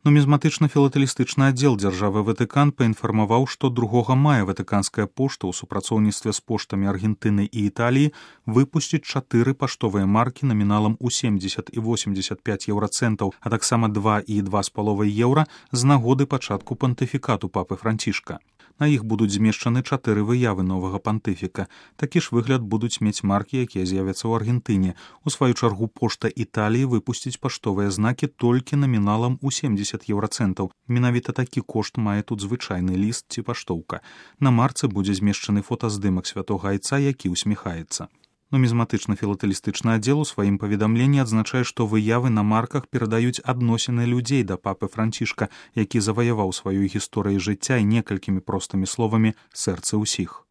Нумізматычна-філатэлістычны аддзел дзяржавы Ватыкан паінфармаваў, што 2 мая ватыканская пошта ў супрацоўніцтве з поштамі Аргентыны і Італіі выпусціць 4 паштовыя маркі наміналам у 70 і 85 еўрацэнтаў, а таксама 2 і 2,5 еўра з нагоды пачатку пантыфікату папы Францішка. На іх будуць змешчаны 4 выявы новага пантыфіка. Такі ж выгляд будуць мець маркі, якія з'явяцца ў Аргентыне. У сваю чаргу пошта Італіі выпусціць паштовыя знакі толькі наміналам у 70 еўрацэнтаў. Менавіта такі кошт мае тут звычайны ліст ці паштоўка. На марцы будзе змешчаны фотаздымак святога айца, які усміхаецца. Нумізматычна-філатэлістычны аддзел у сваім паведамленні адзначае, што выявы на марках перадаюць адносіны людзей да папы Францішка, які заваяваў сваёй гісторыяй жыцця і некалькімі простымі словамі сэрцы ўсіх.